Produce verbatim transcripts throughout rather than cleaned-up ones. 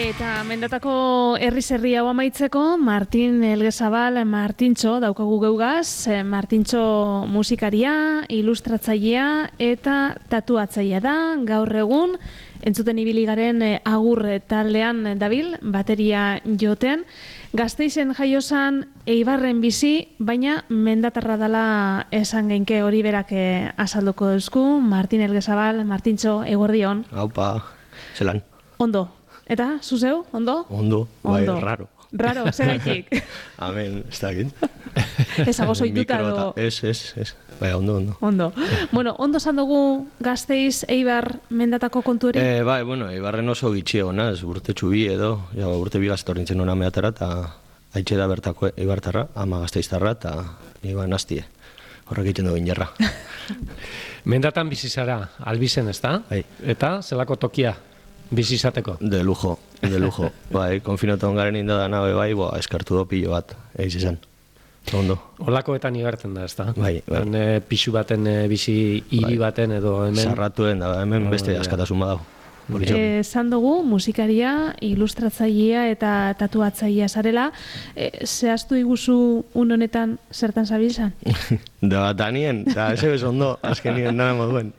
Eta mendatako herri-zerri hau amaitzeko, Martin Elgezabal, Martintxo, daukagu geugaz, Martintxo musikaria, ilustratzailea eta tatuatzailea da, gaur egun, entzuten ibili garen agur taldean dabil, bateria joten, Gasteizen jaiozan Eibarren bizi, baina mendatarra dela esan geinke hori berak azalduko duzku, Martin Elgezabal, Martintxo, eguerdion. Haupa, zelan. Ondo. Eta, zuzeu, ondo? Ondo, bai, raro. Raro, zer gaitik? Amen, ez da egin. Ez ago zoituta edo... Ez, ez, ez. Bai, ondo, ondo. Ondo. Bueno, ondo zan dugu Gasteiz, Eibar, mendatako kontu hori? Eh, bai, bueno, Eibarren oso gitxi egon, ez, urte txubi edo, ja, urte bigaztorrintzen hona mehatara, eta haitxe da bertako Eibartarra, ama Gasteiztarra, eta iban hastie. Horrek egiten dugu injerra. Mendatan bizizara, albizen, ez da? Bai. Eta, zelako tokia? Bizizateko? De lujo, de lujo. Bai, konfinoton garen inda nabe bai, boa, eskartu do pilo bat, eiz esan. Ondo. Olakoetan igartzen da, ez da? Bai, bai. E, pixu baten, e, bizi hiri bai. Baten edo hemen... Sarratuen da, hemen beste askatasun badau. E, zan dugu, musikaria, ilustratzailea eta tatuatzailea zarela, e, zehaztu iguzu un honetan zertan zabiltzan? Da, danien, da, eze bez ondo, azkenien nara moduen.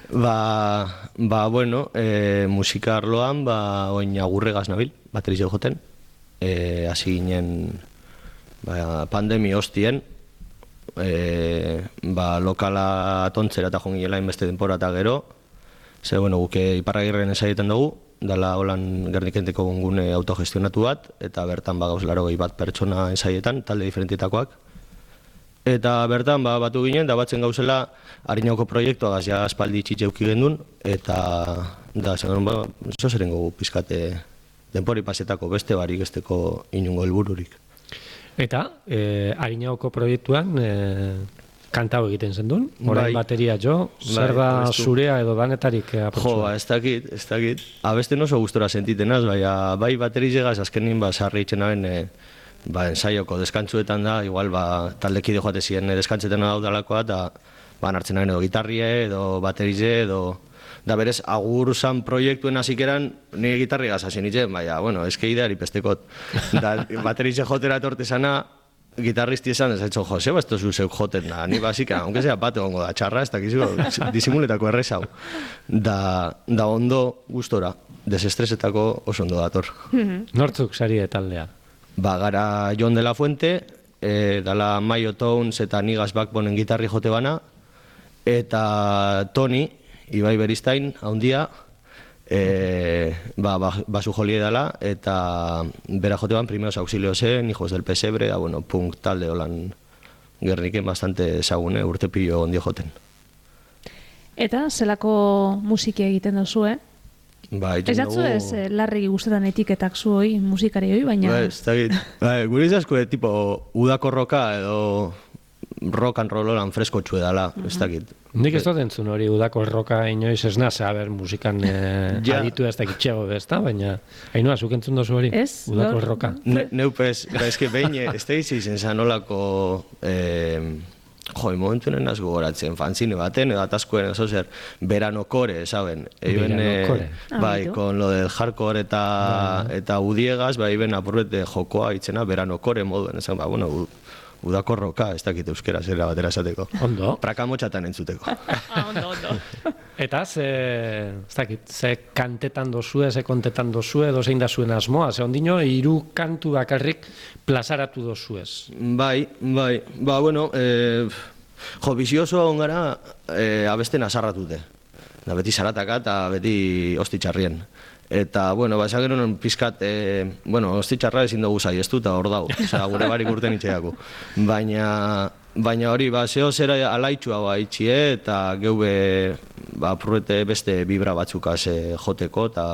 Ba, ba, bueno, e, musika arloan, ba, oin agurregaz nabil, bateriz joten, e, hasi ginen ba, pandemi hostien, e, ba, lokala atontzera eta jonginela inbeste denpora eta gero, ze, bueno, guke Iparragirren esaietan dugu, dala holan Gernikenteko gune autogestionatu bat, eta bertan ba, gauz laro gehi bat pertsona esaietan, talde diferentitakoak. Eta bertan ba, batu ginen, da batzen gauzela Harinauko proiektua gazia aspaldi txitxeuki gendun, eta da, zen ba, zo zeren gogu pizkate denpori pasetako beste barik esteko inungo helbururik. Eta, e, Harinauko proiektuan, e, kantau egiten zen duen, orain bai. Bateria jo, zer da bai, zurea edo danetarik aprotsua? Jo, ba, ez dakit, ez dakit. Abesten oso gustora sentitenaz, bai, bai baterizegaz azkenin ba, sarri itxenaren e, ba, ensaioko deskantzuetan da, igual ba, taldekide joate ziren deskantzetan daudalakoa, eta ba, hartzen nahen edo gitarrie edo baterize edo... Da berez, agur zan proiektuen hasikeran nire gitarri gazazien itzen, baina, bueno, eske ideari pestekot. Da, baterize jotera etorte zana, gitarristi esan, ez haitxo, jo, zeba ez tozu zeuk joten da, ni basika, aunque sea bat egongo da, txarra, ez dakizu, disimuletako errezau. Da, da ondo gustora, desestresetako oso ondo dator. Nortzuk sari taldea? Ba, gara Jon de la Fuente, e, dala Mayo Towns eta Nigaz Backbonen gitarri jote bana, eta Toni, Ibai Beristain, haundia, e, ba, ba, basu jolie dela, eta bera jote ban, primeros auxiliosen, hijos del pesebre, da, bueno, punk talde holan Gerniken bastante ezagune, urte pilo ondio joten. Eta, zelako musiki egiten duzu, eh? Ba, ez datzu ez, eh, larri guztetan etiketak zu hoi, musikari hoi, baina... Ba, ez dakit. Ba, gure izazko, tipo, udako roka edo rock and roll holan fresko txue dala, uh -huh. ez dakit. Nik ez dut entzun hori udako roka inoiz ez naz, a ber, musikan eh, ja. Aditu ez dakitxego bezta, baina hainua, zuk entzun dozu hori? Ez, udako no? roka. Ne, neupez, gara, eske behin, ez da izen zan olako... Eh, jo, momentunen az gogoratzen, fanzine baten, edo ataskoen, oso zer, beranokore, saben? Beranokore. Eh, bai, ah, con lo del hardcore eta, bai. Eta udiegaz, bai, ben apurbete jokoa itzena, beranokore moduen, esan, ba, bueno, u, udako roka, ez dakit euskera, zera batera esateko. Ondo. Prakamotxatan entzuteko. Ah, ondo, ondo. Eta, ze, ez dakit, ze kantetan dozue, ze kontetan dozue, edo zein da zuen asmoa, ze ondino, hiru kantu bakarrik plazaratu dozuez. Bai, bai, ba, bueno, eh, jo, bizioso ongara eh, abesten azarratute. Da, beti zarataka eta beti ostitxarrien. Eta, bueno, ba, esan genuen pizkat, eh, bueno, ostitxarra ezin dugu zai, ez dut, hor dau, osea, gure barik urten itxeako. Baina, baina hori, ba, zeo zera alaitxua ba, itxie, eta geube, ba, purrete beste vibra batzukaz eh, joteko, eta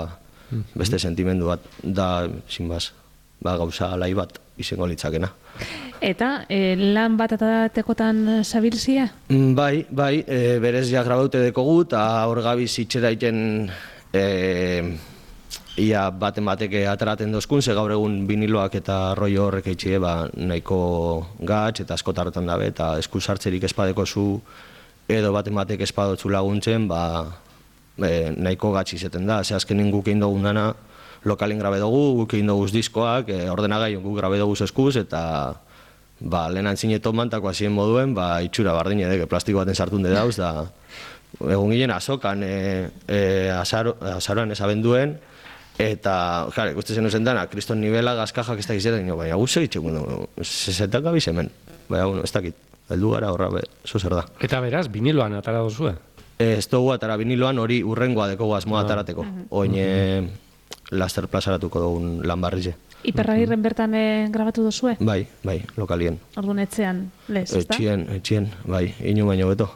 beste sentimendu bat, da, sin baz, ba, gauza alai bat izango litzakena. Eta, e, lan bat eta tekotan zabilzia? Bai, bai, e, berez ja grabaute dekogu, eta hor gabiz itxera iten e, ia baten bateke ateraten dozkun, ze gaur egun biniloak eta rollo horrek eitxie ba, nahiko gatz eta askotarretan dabe, eta esku sartzerik espadeko zu edo baten batek espadotzu laguntzen, ba, e, nahiko gatz izeten da. Ze azkenin guk egin dugun dana, lokalin grabe dugu, guk egin dugu diskoak, e, ordenagaion guk grabe dugu eskuz, eta ba, lehen antzine tomantako hasien moduen, ba, itxura bardin edek, plastiko baten sartun de dauz, da egun ginen azokan, e, e, azaro, azaroan ezabenduen, eta, klar, ikusten zen uzen dana, kriston nivela, gazkajak ez da gizetan, baina guzo itxeko, sesetak gabiz hemen, baina, bueno, ez dakit, heldu gara horra, be, zo zer da. Eta beraz, viniloan atara duzue? Ez dugu atara viniloan hori urrengoa dekogu asmoa atarateko, oin e, laster plazaratuko dugun lan barrize. Iperragirren bertan eh, grabatu duzue? Bai, bai, lokalien. Orduan etxean, lez, ez da? Etxien, etxien, bai, inu baino beto.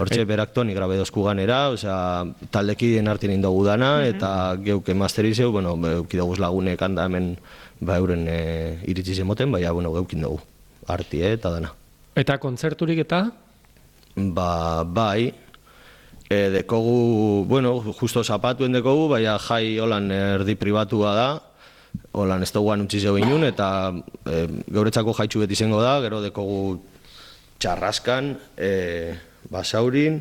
Hortxe berak toni grabe dozku ganera, osea, taldekideen artien indogu dana, eta geuke masterizeu, bueno, eukidoguz lagunek handa hemen, ba, euren e, iritsi zemoten, baina, bueno, geukin dugu, artie eta dana. Eta kontzerturik eta? Ba, bai, e, dekogu, bueno, justo zapatuen dekogu, baina jai holan erdi pribatua da, holan ez duguan utzi zeu inun, eta e, geuretzako jaitxu beti izango da, gero dekogu txarraskan, e, basaurin,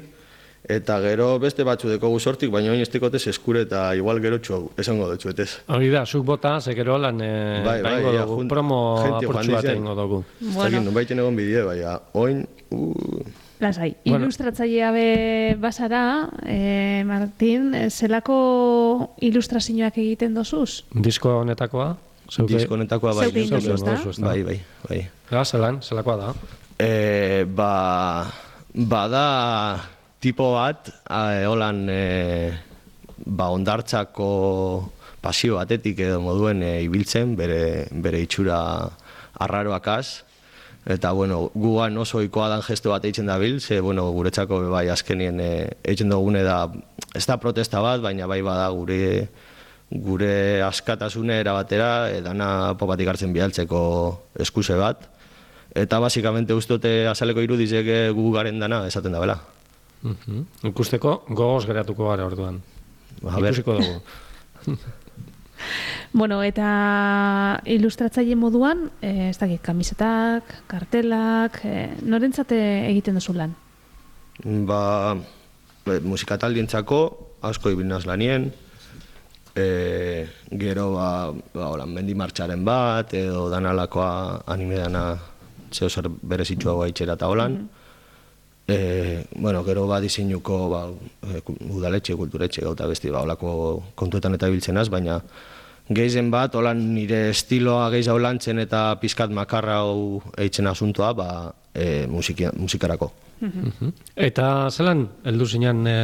eta gero beste batzu dekogu sortik, baina oin ez dekotez eskure eta igual gero txu esango dutxu etez. Hori da, zuk bota, ze gero lan e, bai, bai, baingo ja, dugu, jun, promo apurtxu bat egingo dugu. Bueno. Nun baiten egon bidea, baina oin... Uh, Lasai, Bueno. ilustratzailea be bazara, eh, Martin, zelako ilustrazioak egiten dozuz? Disko honetakoa? Zeuke- disko honetakoa bai. Zeuk egin neuk duzu, egin ezta? duzu, Bai, bai, bai. Ga, zelan, zelakoa da? E, ba, bada tipo bat, e, holan, e, ba, ondartzako pasio batetik edo moduen e, ibiltzen, bere, bere itxura arraroakaz. Eta, bueno, gugan oso ohikoa dan gesto bat eitzen dabil, ze, bueno, guretzako bai azkenien e, eitzen dugune da, ez da protesta bat, baina bai bada gure gure askatasune erabatera, e, dana popatik hartzen bialtzeko eskuse bat. Eta, basikamente, ustote azaleko irudizek gu garen dana esaten da bela. Uh-huh. Ikusteko gogoz geratuko gara orduan. A ber. Ikusiko dugu. Bueno, eta ilustratzaile moduan, eh, ez dakit, kamisetak, kartelak, eh, norentzate egiten duzu lan? Ba, e, musikataldientzako asko ibinaz lanien, e, gero ba, ba hola, mendi martxaren bat, edo danalakoa anime dana zeo zer berezitxuagoa itxera eta holan. E, bueno, gero ba diseinuko ba, e, udaletxe, kulturetxe gauta besti ba, holako kontuetan eta biltzenaz, baina gehizen bat, holan nire estiloa gehiago lantzen eta pizkat makarra hau eitzen asuntoa, ba, e, musikia, musikarako. Uh-huh. Eta zelan, heldu zinean e,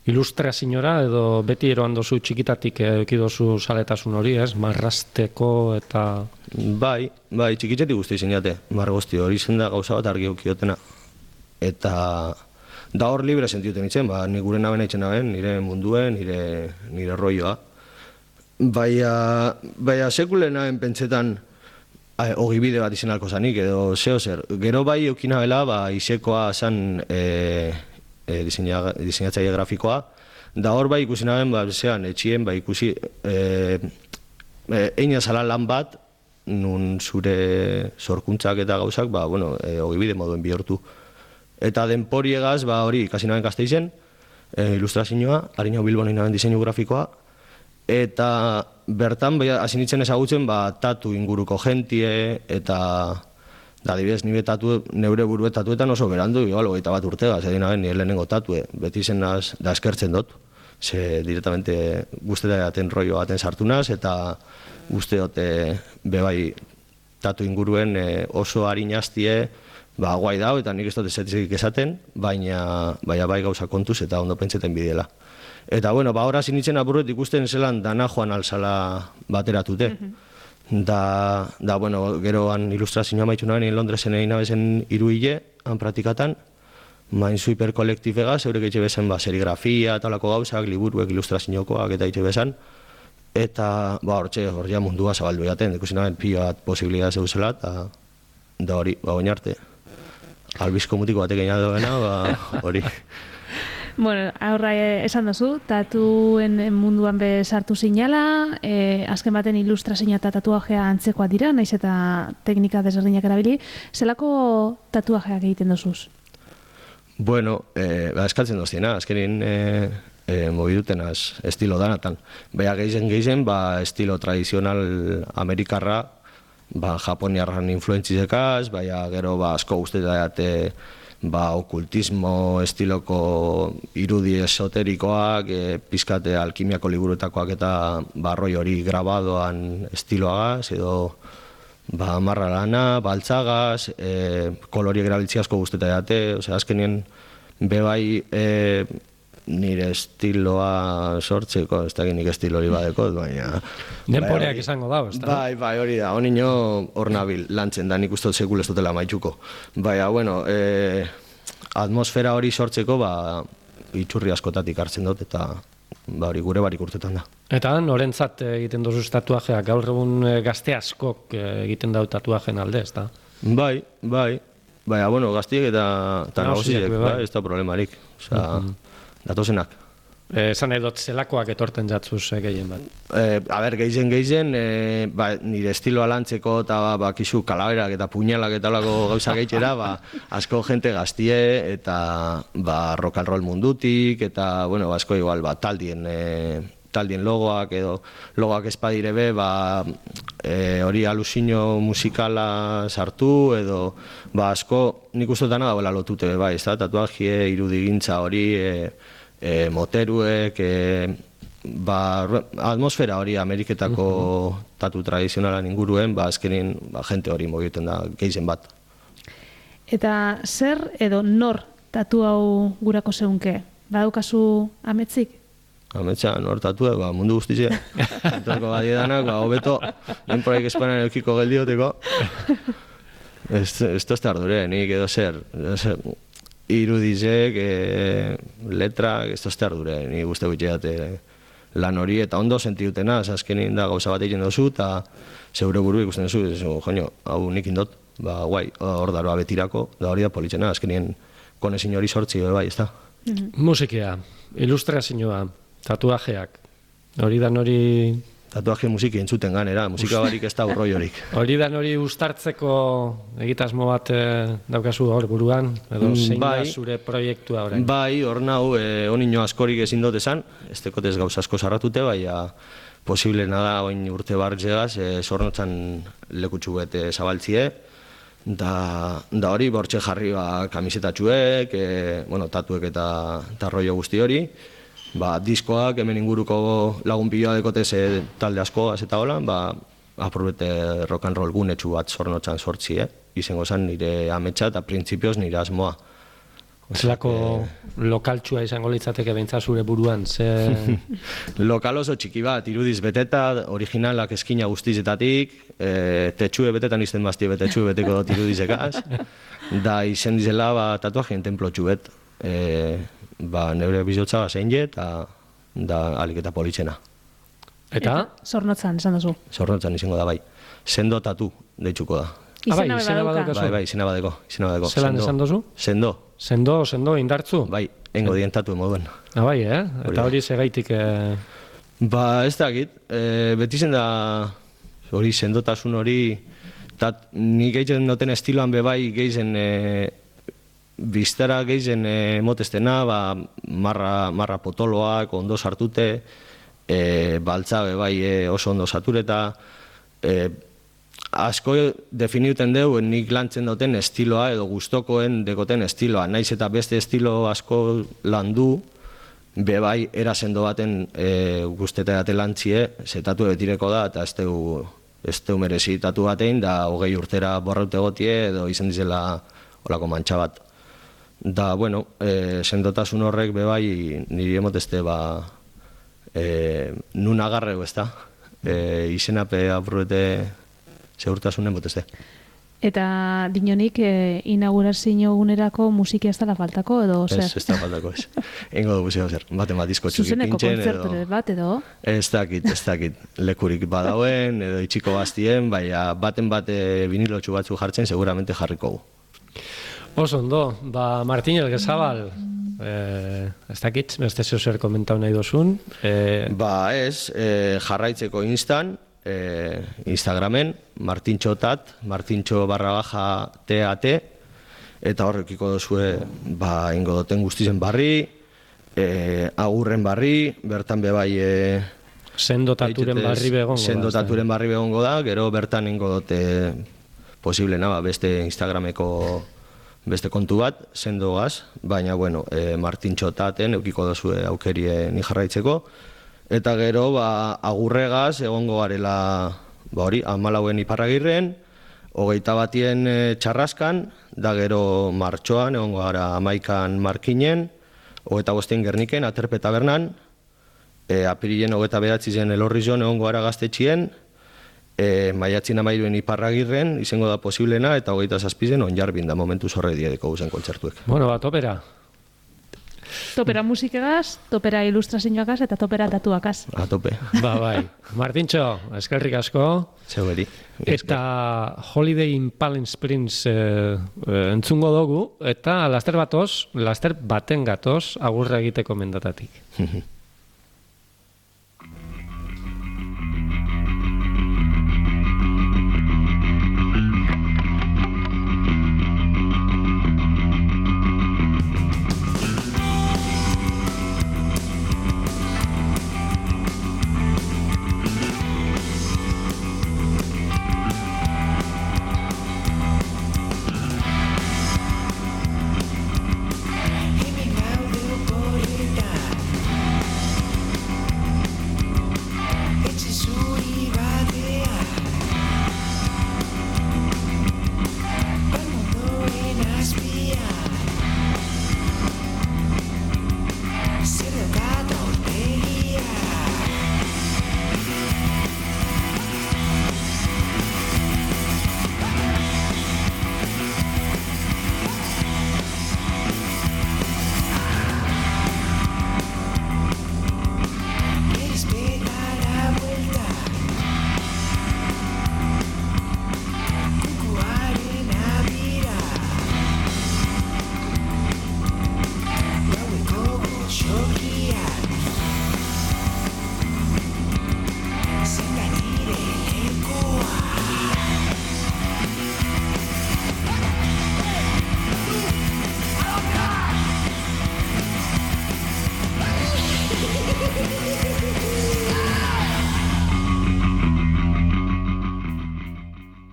ilustrazioa edo beti eroan dozu txikitatik eukidozu saletasun hori, ez? Marrasteko eta... Bai, bai, txikitzetik guzti zinate, margozti hori zen da gauza bat argi eukiotena. Eta da hor libre sentiuten itzen, ba, ni gure naben eitzen naben, nire munduen, nire, nire rolloa. Baina, baina sekulen naben pentsetan ogibide bat izen alko zanik, edo zeo zer. Gero bai eukinabela, ba, isekoa zan e, e, diseina, diseinatzaile grafikoa, da hor bai ikusi naben, ba, zean, etxien, ba, ikusi, e, e, eina zala lan bat, nun zure sorkuntzak eta gauzak, ba, bueno, e, ogibide moduen bihurtu. Eta denporiegaz, ba, hori, ikasi naben Gasteizen, e, ilustrazioa, harina Bilbon egin naben diseinu grafikoa, eta bertan, bai, hasi nintzen ezagutzen, ba, tatu inguruko jentie, eta, da, adibidez, nire tatu, neure burue tatuetan oso berandu, igual, hogeita bat urtega, zedin naben, nire lehenengo tatue, beti zenaz, da eskertzen dut, ze directamente guztetan jaten rollo baten sartunaz, eta guzti dute bebai tatu inguruen e, oso harinaztie, ba, guai dau, eta nik ez dut ezetik esaten, baina, baina bai gauza kontuz eta ondo pentseten bidela. Eta, bueno, ba, horaz initzen apurret ikusten zelan dana joan alzala bateratute. Da, da, bueno, geroan ilustrazioa maitu naben, Londresen egin nabezen hiru hile, han pratikatan, main zu hiperkolektibegaz, eurek eitxe bezen, ba, serigrafia, talako gauzak, liburuek, ilustrazioakoak eta eitxe bezan. Eta, ba, hortxe, hor ja mundua zabaldu jaten, ikusi naben pila bat posibilidad zeuzela, eta da hori, ba, oin arte. Albizko mutiko batek egin doena, ba, hori. Bueno, aurra esan duzu, tatuen munduan be sartu zinala, e, azken baten ilustrazioa eta tatuajea antzekoa dira, naiz eta teknika desberdinak erabili. Zelako tatuajeak egiten duzuz? Bueno, eh, ba, eskaltzen doztiena, azkenin, eh, e, mobidutenaz estilo danatan. Baina geizen geizen, ba, estilo tradizional amerikarra, ba, japoniarran influentzizekaz, baina gero ba, asko guztetate ba, okultismo estiloko irudi esoterikoak, e, pizkate alkimiako liburuetakoak eta barroi hori grabadoan estiloagaz, edo ba, marra lana, baltzagaz, e, koloriek erabiltzi asko guztetate, osea, azkenien bebai e, nire estiloa sortzeko, ez da nik estilo hori badeko, baina... Denporeak izango da, ez da? Bai, bai, hori da, honi nio hor nabil lantzen da, nik uste dut sekul ez dutela maitxuko. Baina, bueno, e, atmosfera hori sortzeko, ba, itxurri askotatik hartzen dut, eta ba, hori gure barik urtetan da. Eta norentzat egiten dozu tatuajeak, gaur egun gazte askok egiten dau tatuajen alde, ez da? Bai, bai, baina, bueno, gaztiek eta, eta nagusiek, bai, ez da problemarik, osea, mm-hmm. datozenak. Esan eh, edot zelakoak etorten jatzuz eh, gehien bat? Eh, a ber, gehien gehien, eh, ba, nire estiloa lantzeko eta ba, ba, kizu kalaberak eta puñalak eta olako gauza gehitxera, ba, asko jente gaztie eta ba, rock and roll mundutik eta, bueno, ba, asko igual, ba, taldien, eh, taldien logoak edo logoak espadire be, ba, eh, hori alusino musikala sartu edo, ba, asko nik ustotan da lotute be, bai, ez da, tatuajie, irudigintza hori, eh, E, moteruek, e, ba, atmosfera hori Ameriketako uh-huh. tatu tradizionalan inguruen, ba, azkenin ba, jente hori mogiten da geizen bat. Eta zer edo nor tatu hau gurako zeunke? Badaukazu ametzik? Ametsa, nor tatu, ba, mundu guztizia. Entorko badiedanak, ba, hobeto, denporaik espanan eukiko geldioteko. Ez, ez tozte ardure, nik edo zer, edo zer. Irudizek, e, letrak, ez tozte ardure, ni guzti gutxeat e, lan hori, eta ondo sentiutena, azkenin da gauza bat egin dozu, eta zeure buru ikusten duzu, ez, joño, hau nik indot, ba, guai, hor daroa betirako, da hori da politzena, azkenien konezin hori sortzi, bai, ez da. Mm-hmm. Musikia, ilustrazioa, tatuajeak, hori da hori... Tatuaje musiki entzuten ganera, musika barik ez da urroi horik. Hori da hori uztartzeko egitasmo bat e, daukazu hor buruan, edo zein bai, da zure proiektua orain? Bai, hor nau, e, onino askorik ezin dut esan, ez tekotez gauza asko sarratute, bai, posible nada oin urte bartxegaz, e, zornotzan lekutsu bete zabaltzie, da, da hori bortxe jarri ba, kamisetatxuek, e, bueno, tatuek eta, eta rollo guzti hori, ba, diskoak, hemen inguruko lagun piloa dekotez e, talde askoaz eta hola, ba, aprobete rock and roll gunetxu bat zornotzan sortzi, eh? Izengo zen nire ametsa eta printzipioz nire asmoa. Zelako e... lokaltxua izango litzateke beintza zure buruan, ze... Lokal oso txiki bat, irudiz beteta, originalak eskina guztizetatik, e, tetxue betetan izten bazti betetxue beteko dut irudizekaz, da izen dizela ba, tatuajien templotxu bet. E, ba, neure bizotza zein je, eta da alik eta politzena. Eta? Zornotzan, esan duzu. Zornotzan izango da, bai. Sendo tatu deitzuko da. Izena ah, bai, bai, bai, izena badeko. Izena badeko. Zelan esan duzu? Sendo. Sendo, sendo, indartzu? Bai, engo dien tatu emoduen. Ah, bai, eh? Eta hori segaitik... Eh... Ba, ez dakit. E, beti zen da hori sendotasun hori, tat, nik egiten duten estiloan bebai gehizen... E, biztara gehizen emotestena, ba, marra, marra potoloak ondo sartute, e, baltza bai e, oso ondo satureta, e, asko definiuten deu nik lantzen duten estiloa edo gustokoen dekoten estiloa, naiz eta beste estilo asko landu, be bai erasendo baten e, guzteta date lantzie, zetatu betireko da, eta ez teu, ez teu merezi tatu batein, da hogei urtera borraute gotie edo izan dizela olako mantxa bat. Da, bueno, e, sendotasun horrek bebai niri emotezte ba, e, nun agarreu ez da, e, izenape apurrete segurtasun emotezte. Eta dinonik e, inaugurazio gunerako musiki ez dela faltako edo zer? Ez, ez da faltako ez. Engo dugu zeo zer, baten bat disko txuki pintzen edo... Zuzeneko kontzertu bat edo? Ez dakit, ez dakit, lekurik badauen edo itxiko bastien, baina baten bate vinilotxu batzu jartzen seguramente jarriko gu. Oso ondo, ba, Martin Elgezabal, eh, ez dakit, beste zeo zer komentau nahi dozun. Eh... Ba ez, eh, jarraitzeko instan, eh, Instagramen, martintxotat, martintxo barra baja tat, eta horrekiko dozue, ba, ingo duten guztizen barri, e, agurren barri, bertan bebai... E, Sendo taturen barri begongo da. Sendo taturen barri begongo da, gero bertan ingo dute posible naba, beste Instagrameko beste kontu bat, sendo gaz, baina, bueno, e, Martintxo taten eukiko dozue aukerie ni jarraitzeko, eta gero, ba, agurregaz egongo garela, ba hori, amalauen Iparragirren, hogeita batien e, Txarraskan, da gero martxoan, egongo gara amaikan Markinen, hogeita bostein Gerniken, Aterpe tabernan, e, apirilen hogeita behatzi zen Elorrizon egongo gara Gaztetxien, e, maiatzin amairuen Iparragirren, izango da posiblena, eta hogeita zazpizen Onjarbin da momentu zorre diedeko guzen kontzertuek. Bueno, ba, topera. Topera musikagaz, topera ilustrazioagaz eta topera tatuakaz. A tope. Ba, bai. Martintxo, eskerrik asko. Zeuberi. Eta Holiday in Palm Springs eh, eh, entzungo dugu, eta laster batoz, laster baten gatoz, agurra egiteko mendatatik.